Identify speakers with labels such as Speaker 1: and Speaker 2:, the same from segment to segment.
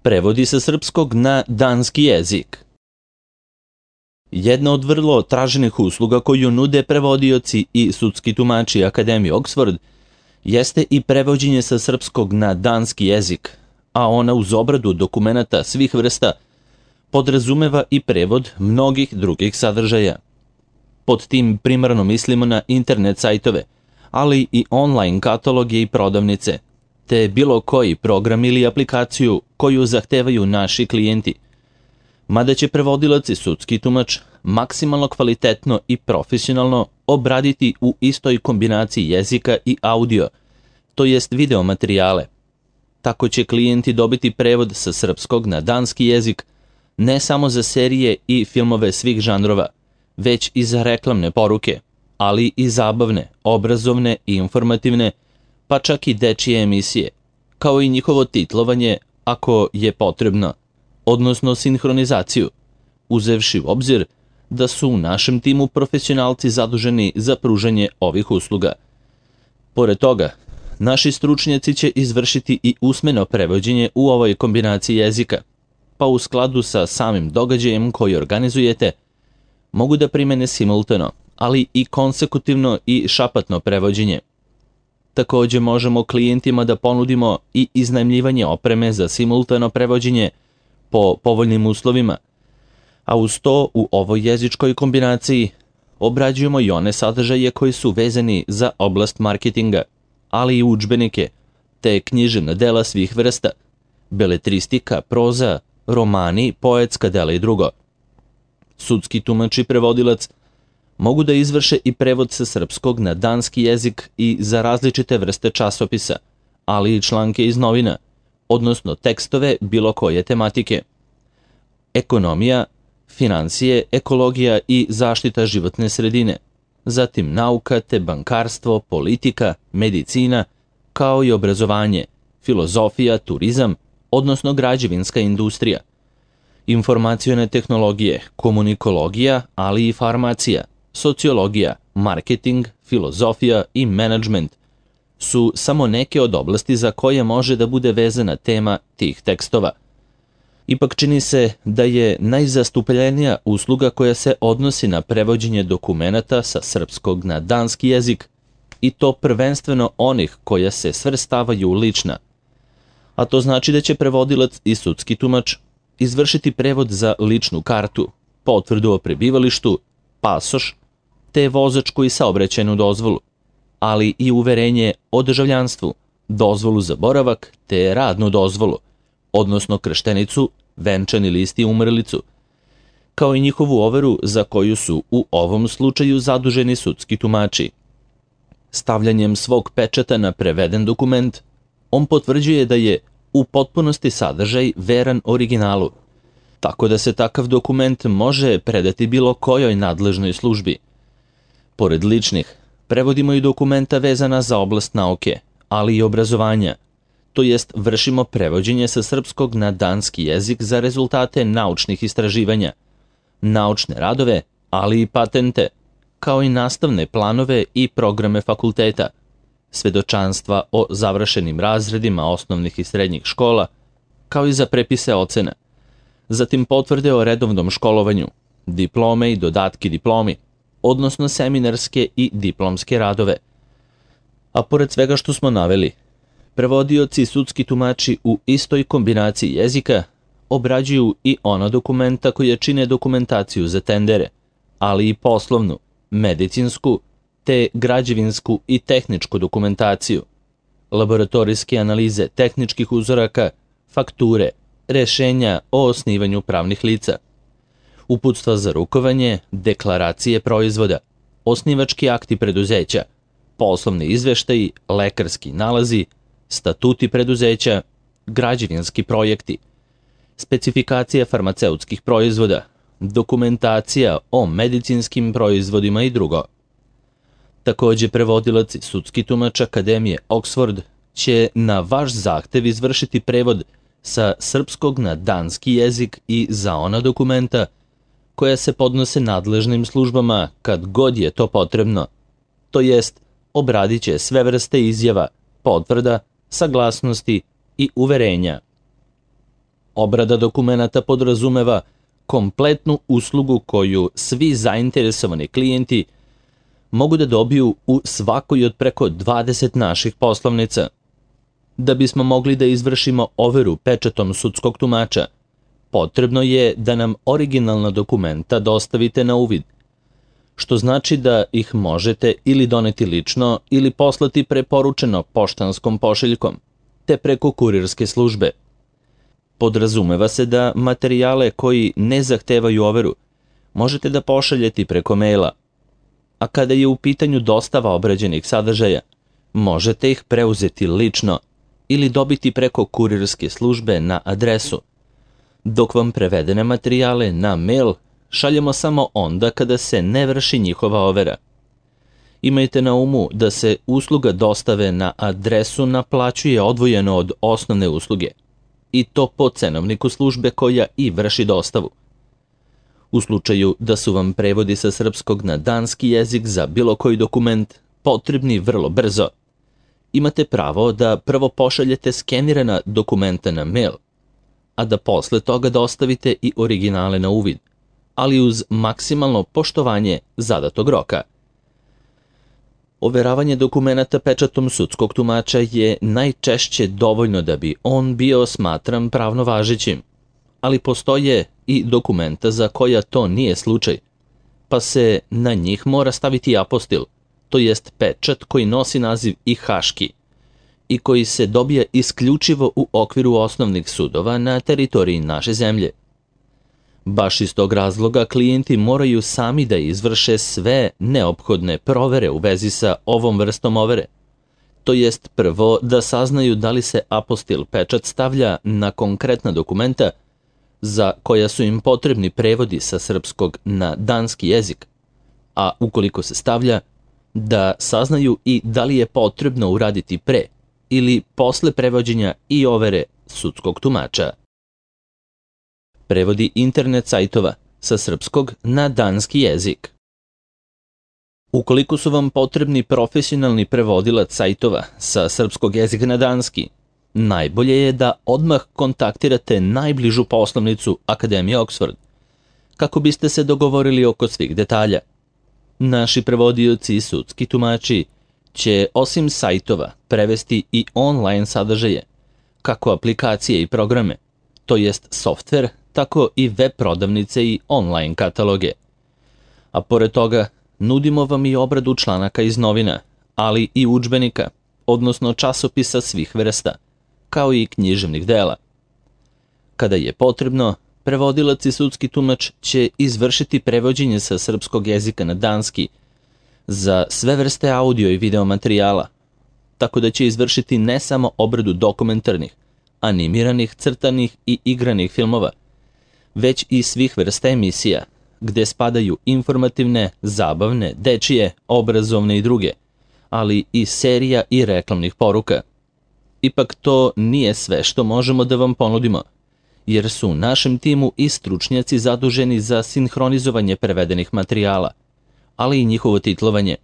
Speaker 1: Prevodi sa srpskog na danski jezik. Jedna od vrlo traženih usluga koju nude prevodioci i sudski tumači Akademije Oxford jeste i prevođenje sa srpskog na danski jezik, a ona uz obradu dokumenata svih vrsta podrazumeva i prevod mnogih drugih sadržaja. Pod tim primarno mislimo na internet sajtove, ali i online kataloge i prodavnice, te bilo koji program ili aplikaciju koju zahtevaju naši klijenti. Mada će prevodilac i sudski tumač maksimalno kvalitetno i profesionalno obraditi u istoj kombinaciji jezika i audio, to jest video materijale. Tako će klijenti dobiti prevod sa srpskog na danski jezik ne samo za serije i filmove svih žanrova, već i za reklamne poruke, ali i zabavne, obrazovne i informativne, pa čak i dečije emisije, kao i njihovo titlovanje ako je potrebno, odnosno sinhronizaciju, uzevši u obzir da su u našem timu profesionalci zaduženi za pružanje ovih usluga. Pored toga, naši stručnjaci će izvršiti i usmeno prevođenje u ovoj kombinaciji jezika, pa u skladu sa samim događajem koji organizujete, mogu da primene simultano, ali i konsekutivno i šapatno prevođenje. Takođe možemo klijentima da ponudimo i iznajmljivanje opreme za simultano prevođenje po povoljnim uslovima, a uz to u ovoj jezičkoj kombinaciji obrađujemo i one sadržaje koji su vezani za oblast marketinga, ali i udžbenike, te književna dela svih vrsta, beletristika, proza, romani, poetska dela i drugo. Sudski tumač i prevodilac mogu da izvrše i prevod sa srpskog na danski jezik i za različite vrste časopisa, ali i članke iz novina, odnosno tekstove bilo koje tematike. Ekonomija, finansije, ekologija i zaštita životne sredine, zatim nauka te bankarstvo, politika, medicina, kao i obrazovanje, filozofija, turizam, odnosno građevinska industrija, informacione tehnologije, komunikologija, ali i farmacija, sociologija, marketing, filozofija i menadžment su samo neke od oblasti za koje može da bude vezana tema tih tekstova. Ipak čini se da je najzastupljenija usluga koja se odnosi na prevođenje dokumenata sa srpskog na danski jezik, i to prvenstveno onih koja se svrstavaju u lična. A to znači da će prevodilac i sudski tumač izvršiti prevod za ličnu kartu, potvrdu o prebivalištu, pasoš, te vozačku i saobraćajnu dozvolu, ali i uverenje o državljanstvu, dozvolu za boravak te radnu dozvolu, odnosno krštenicu, venčani list i umrlicu, kao i njihovu overu za koju su u ovom slučaju zaduženi sudski tumači. Stavljanjem svog pečata na preveden dokument, on potvrđuje da je u potpunosti sadržaj veran originalu, tako da se takav dokument može predati bilo kojoj nadležnoj službi. Pored ličnih, prevodimo i dokumenta vezana za oblast nauke, ali i obrazovanja, to jest vršimo prevođenje sa srpskog na danski jezik za rezultate naučnih istraživanja, naučne radove, ali i patente, kao i nastavne planove i programe fakulteta, svedočanstva o završenim razredima osnovnih i srednjih škola, kao i za prepise ocena, zatim potvrde o redovnom školovanju, diplome i dodatki diplomi, odnosno seminarske i diplomske radove. A pored svega što smo naveli, prevodioci i sudski tumači u istoj kombinaciji jezika obrađuju i ona dokumenta koja čine dokumentaciju za tendere, ali i poslovnu, medicinsku, te građevinsku i tehničku dokumentaciju, laboratorijske analize tehničkih uzoraka, fakture, rešenja o osnivanju pravnih lica, uputstva za rukovanje, deklaracije proizvoda, osnivački akti preduzeća, poslovni izveštaji, lekarski nalazi, statuti preduzeća, građevinski projekti, specifikacija farmaceutskih proizvoda, dokumentacija o medicinskim proizvodima i drugo. Takođe, prevodilac i sudski tumač Akademije Oxford će na vaš zahtev izvršiti prevod sa srpskog na danski jezik i za ona dokumenta koja se podnose nadležnim službama kad god je to potrebno, to jest obradit će sve vrste izjava, potvrda, saglasnosti i uverenja. Obrada dokumenata podrazumeva kompletnu uslugu koju svi zainteresovani klijenti mogu da dobiju u svakoj od preko 20 naših poslovnica. Da bismo mogli da izvršimo overu pečatom sudskog tumača, potrebno je da nam originalna dokumenta dostavite na uvid, što znači da ih možete ili doneti lično ili poslati preporučeno poštanskom pošiljkom, te preko kurirske službe. Podrazumeva se da materijale koji ne zahtevaju overu možete da pošaljete preko maila, a kada je u pitanju dostava obrađenih sadržaja, možete ih preuzeti lično ili dobiti preko kurirske službe na adresu, dok vam prevedene materijale na mail šaljemo samo onda kada se ne vrši njihova overa. Imajte na umu da se usluga dostave na adresu naplaćuje odvojeno od osnovne usluge, i to po cenovniku službe koja i vrši dostavu. U slučaju da su vam prevodi sa srpskog na danski jezik za bilo koji dokument potrebni vrlo brzo, imate pravo da prvo pošaljete skenirana dokumenta na mail, a da posle toga dostavite i originale na uvid, ali uz maksimalno poštovanje zadatog roka. Overavanje dokumenata pečatom sudskog tumača je najčešće dovoljno da bi on bio smatran pravno važećim, ali postoje i dokumenta za koja to nije slučaj, pa se na njih mora staviti apostil, to jest pečat koji nosi naziv i haški i koji se dobija isključivo u okviru osnovnih sudova na teritoriji naše zemlje. Baš iz tog razloga klijenti moraju sami da izvrše sve neophodne provere u vezi sa ovom vrstom overe, to jest prvo da saznaju da li se apostil pečat stavlja na konkretna dokumenta za koja su im potrebni prevodi sa srpskog na danski jezik, a ukoliko se stavlja, da saznaju i da li je potrebno uraditi pre ili posle prevođenja i overe sudskog tumača. Prevodi internet sajtova sa srpskog na danski jezik. Ukoliko su vam potrebni profesionalni prevodilac sajtova sa srpskog jezika na danski, najbolje je da odmah kontaktirate najbližu poslovnicu Akademije Oxford, kako biste se dogovorili oko svih detalja. Naši prevodioci i sudski tumači će osim sajtova prevesti i online sadržaje, kako aplikacije i programe, to jest softver, tako i web prodavnice i online kataloge. A pored toga, nudimo vam i obradu članaka iz novina, ali i udžbenika, odnosno časopisa svih vrsta, kao i književnih dela. Kada je potrebno, prevodilac i sudski tumač će izvršiti prevođenje sa srpskog jezika na danski za sve vrste audio i video materijala, tako da će izvršiti ne samo obradu dokumentarnih, animiranih, crtanih i igranih filmova, već i svih vrsta emisija, gde spadaju informativne, zabavne, dečije, obrazovne i druge, ali i serija i reklamnih poruka. Ipak to nije sve što možemo da vam ponudimo, jer su u našem timu i stručnjaci zaduženi za sinhronizovanje prevedenih materijala, ali i njihovo titlovanje,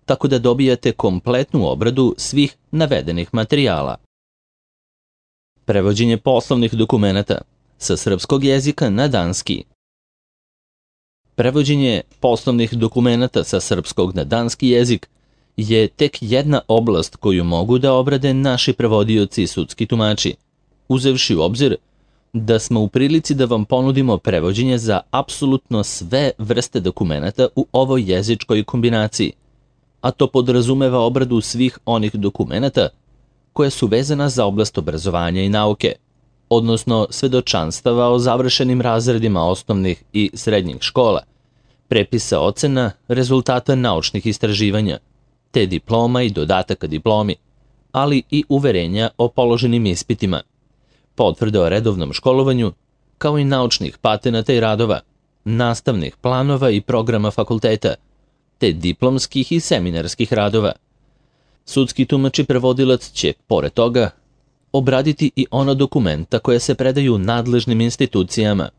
Speaker 1: tako da dobijate kompletnu obradu svih navedenih materijala. Prevođenje poslovnih dokumenata sa srpskog jezika na danski. Prevođenje poslovnih dokumenata sa srpskog na danski jezik je tek jedna oblast koju mogu da obrade naši prevodioci i sudski tumači, uzevši u obzir da smo u prilici da vam ponudimo prevođenje za apsolutno sve vrste dokumenata u ovoj jezičkoj kombinaciji, a to podrazumeva obradu svih onih dokumenata koje su vezana za oblast obrazovanja i nauke, odnosno svedočanstava o završenim razredima osnovnih i srednjih škola, prepisa ocena, rezultata naučnih istraživanja, te diploma i dodataka diplomi, ali i uverenja o položenim ispitima, potvrde o redovnom školovanju, kao i naučnih patenata i radova, nastavnih planova i programa fakulteta, te diplomskih i seminarskih radova. Sudski tumač i prevodilac će, pored toga, obraditi i ona dokumenta koja se predaju nadležnim institucijama,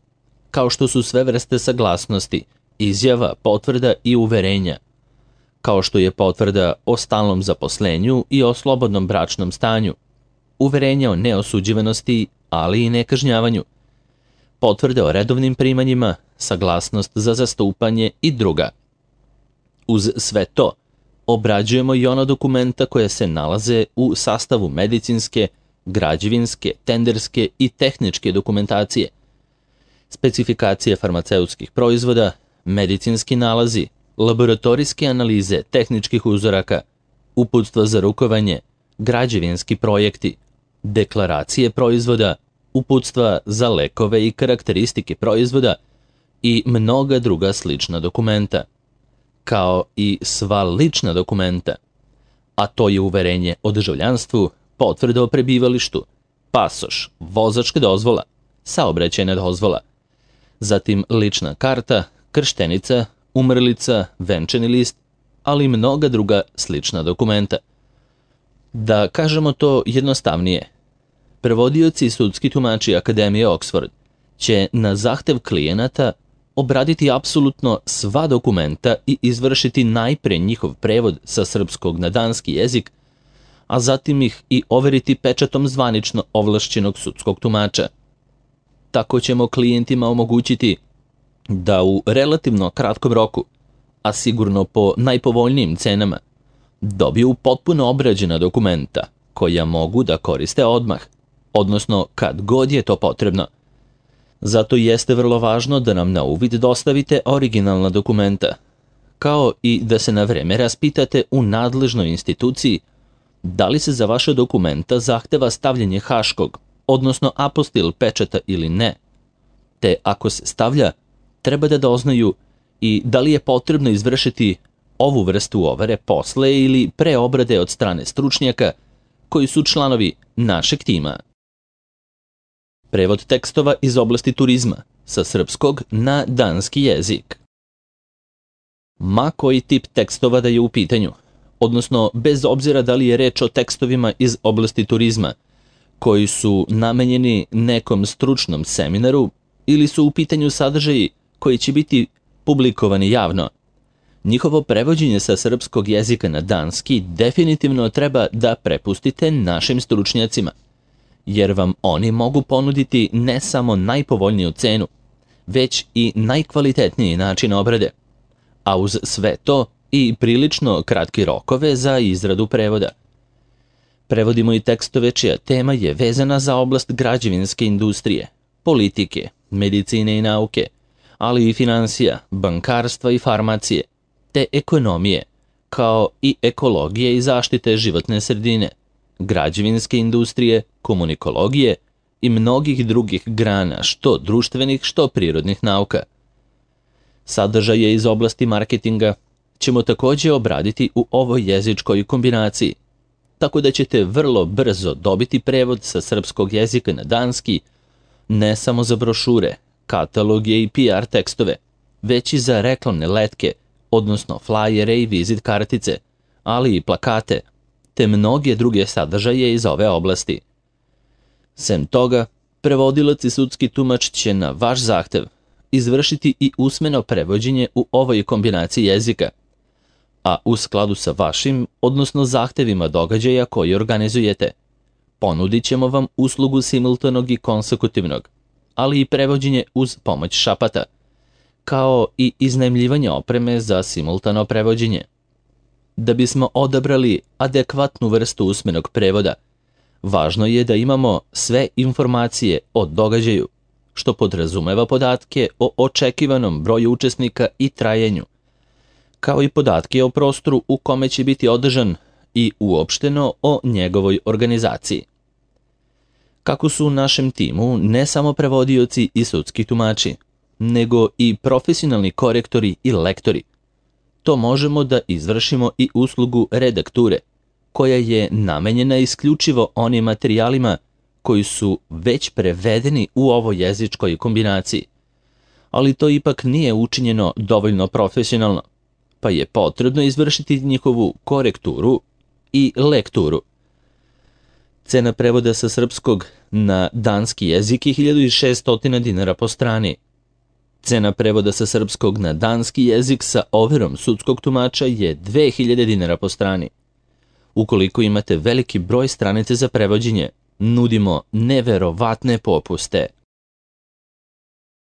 Speaker 1: kao što su sve vrste saglasnosti, izjava, potvrda i uverenja, kao što je potvrda o stalnom zaposlenju i o slobodnom bračnom stanju, uverenja o neosuđivanosti, ali i nekažnjavanju, potvrde o redovnim primanjima, saglasnost za zastupanje i druga. Uz sve to, obrađujemo i ona dokumenta koja se nalaze u sastavu medicinske, građevinske, tenderske i tehničke dokumentacije, specifikacije farmaceutskih proizvoda, medicinski nalazi, laboratorijske analize tehničkih uzoraka, uputstva za rukovanje, građevinski projekti, deklaracije proizvoda, uputstva za lekove i karakteristike proizvoda i mnoga druga slična dokumenta, kao i sva lična dokumenta, a to je uverenje o državljanstvu, potvrda o prebivalištu, pasoš, vozačka dozvola, saobraćajna dozvola, zatim lična karta, krštenica, umrlica, venčani list, ali i mnoga druga slična dokumenta. Da kažemo to jednostavnije, prevodioci i sudski tumači Akademije Oxford će na zahtev klijenata obraditi apsolutno sva dokumenta i izvršiti najpre njihov prevod sa srpskog na danski jezik, a zatim ih i overiti pečatom zvanično ovlašćenog sudskog tumača. Tako ćemo klijentima omogućiti da u relativno kratkom roku, a sigurno po najpovoljnijim cenama, dobiju potpuno obrađena dokumenta koja mogu da koriste odmah, odnosno kad god je to potrebno. Zato jeste vrlo važno da nam na uvid dostavite originalna dokumenta, kao i da se na vreme raspitate u nadležnoj instituciji da li se za vaše dokumenta zahteva stavljanje haškog, odnosno apostil pečata ili ne, te ako se stavlja, treba da doznaju i da li je potrebno izvršiti ovu vrstu overe posle ili pre obrade od strane stručnjaka koji su članovi našeg tima. Prevod tekstova iz oblasti turizma sa srpskog na danski jezik. Ma koji tip tekstova da je u pitanju, odnosno bez obzira da li je reč o tekstovima iz oblasti turizma, koji su namenjeni nekom stručnom seminaru ili su u pitanju sadržaji koji će biti publikovani javno, njihovo prevođenje sa srpskog jezika na danski definitivno treba da prepustite našim stručnjacima, jer vam oni mogu ponuditi ne samo najpovoljniju cenu, već i najkvalitetniji način obrade, a uz sve to i prilično kratki rokove za izradu prevoda. Prevodimo i tekstove čija tema je vezana za oblast građevinske industrije, politike, medicine i nauke, ali i finansija, bankarstva i farmacije, te ekonomije, kao i ekologije i zaštite životne sredine, građevinske industrije, komunikologije i mnogih drugih grana, što društvenih, što prirodnih nauka. Sadržaje iz oblasti marketinga ćemo također obraditi u ovoj jezičkoj kombinaciji, tako da ćete vrlo brzo dobiti prevod sa srpskog jezika na danski, ne samo za brošure, kataloge i PR tekstove, već i za reklamne letke, odnosno flajere i vizit kartice, ali i plakate, te mnoge druge sadržaje iz ove oblasti. Sem toga, prevodilac i sudski tumač će na vaš zahtev izvršiti i usmeno prevođenje u ovoj kombinaciji jezika, a u skladu sa vašim, odnosno zahtevima događaja koji organizujete, ponudit ćemo vam uslugu simultanog i konsekutivnog, ali i prevođenje uz pomoć šapata, kao i iznajmljivanje opreme za simultano prevođenje. Da bismo odabrali adekvatnu vrstu usmenog prevoda, važno je da imamo sve informacije o događaju, što podrazumeva podatke o očekivanom broju učesnika i trajanju, kao i podatke o prostoru u kome će biti održan i uopšteno o njegovoj organizaciji. Kako su u našem timu ne samo prevodioci i sudski tumači, nego i profesionalni korektori i lektori, to možemo da izvršimo i uslugu redakture, koja je namenjena isključivo onim materijalima koji su već prevedeni u ovoj jezičkoj kombinaciji, ali to ipak nije učinjeno dovoljno profesionalno, pa je potrebno izvršiti njihovu korekturu i lekturu. Cena prevoda sa srpskog na danski jezik je 1600 dinara po strani. Cena prevoda sa srpskog na danski jezik sa overom sudskog tumača je 2000 dinara po strani. Ukoliko imate veliki broj stranice za prevođenje, Nudimo neverovatne popuste,